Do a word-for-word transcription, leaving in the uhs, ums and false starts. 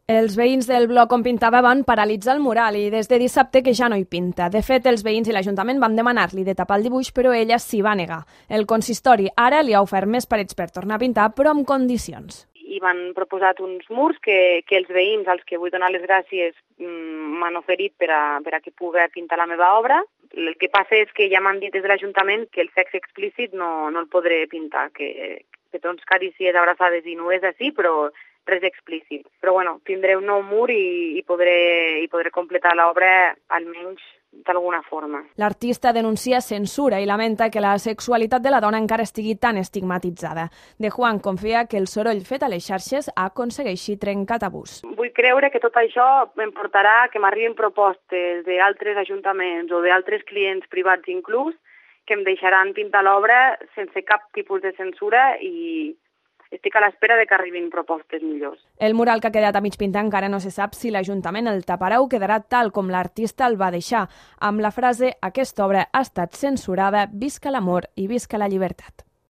Els veïns del bloc on pintava van paralitzar el mural i des de dissabte que ja no hi pinta. De fet, els veïns i l'Ajuntament van demanar-li de tapar el dibuix, però ella s'hi va negar. El consistori ara li ha ofert més parets per tornar a pintar, però amb condicions. I m'han proposat uns murs que, que els veïns, als que vull donar les gràcies, m'han oferit per a, per a que pugui pintar la meva obra. El que passa és que ja m'han dit des de l'Ajuntament que el sexe explícit no, no el podré pintar, que petons, carícies, abraçades i nues així, però res explícit. Però bueno, tindré un nou mur i, i, podré, i podré completar l'obra almenys d'alguna forma. L'artista denuncia censura i lamenta que la sexualitat de la dona encara estigui tan estigmatitzada. De Juan confia que el soroll fet a les xarxes aconsegueixi trencar tabús. Vull creure que tot això em portarà que m'arribin propostes d'altres ajuntaments o d'altres clients privats inclús que em deixaran pintar l'obra sense cap tipus de censura i estic a l'espera de que arribin propostes millors. El mural que ha quedat a mig pintar encara no se sap si l'Ajuntament el taparà o quedarà tal com l'artista el va deixar, amb la frase «Aquesta obra ha estat censurada, visca l'amor i visca la llibertat».